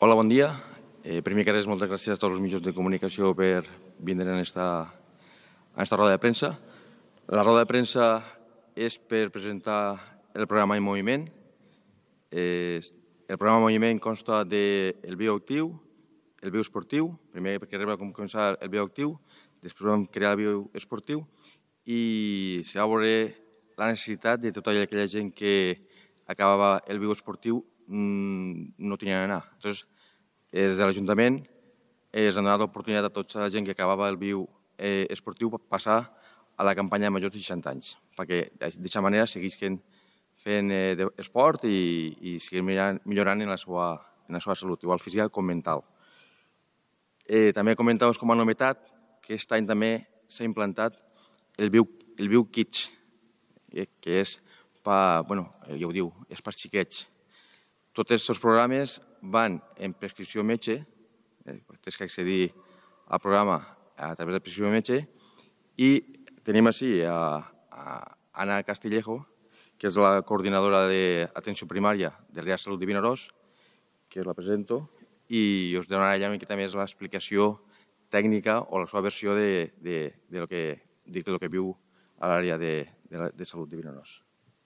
Hola, bon dia. Primer que res, moltes gràcies a tots els mitjans de comunicació per vindre en esta roda de premsa. La roda de premsa és per presentar el programa en moviment. El programa en moviment consta del bioactiu, el bioesportiu, primer perquè arriba a començar el bioactiu, després vam crear el bioesportiu i se va veure la necessitat de tota aquella gent que acabava el bioesportiu no tenien anar. Llavors, des de l'Ajuntament es ha donat l'oportunitat a tota la gent que acabava el viu esportiu passar a la campanya de majors de 60 anys, perquè d'aquesta manera seguisquen fent esport i seguim millorant en la seva salut, igual física com mental. També comentar-vos com a novetat que aquest any també s'ha implantat el Viu Kids, que és per, ja ho diu, és per xiquets. Tots aquests programes van en prescripció metge, tens que accedir al programa a través de prescripció metge, i tenim així a Ana Castillejo, que és la coordinadora d'atenció primària de l'Àrea de Salut de Vinaròs, que us la presento, i us donarà ja una miqueta més l'explicació tècnica o la seva versió de lo que viu a l'àrea de salut de Vinaròs.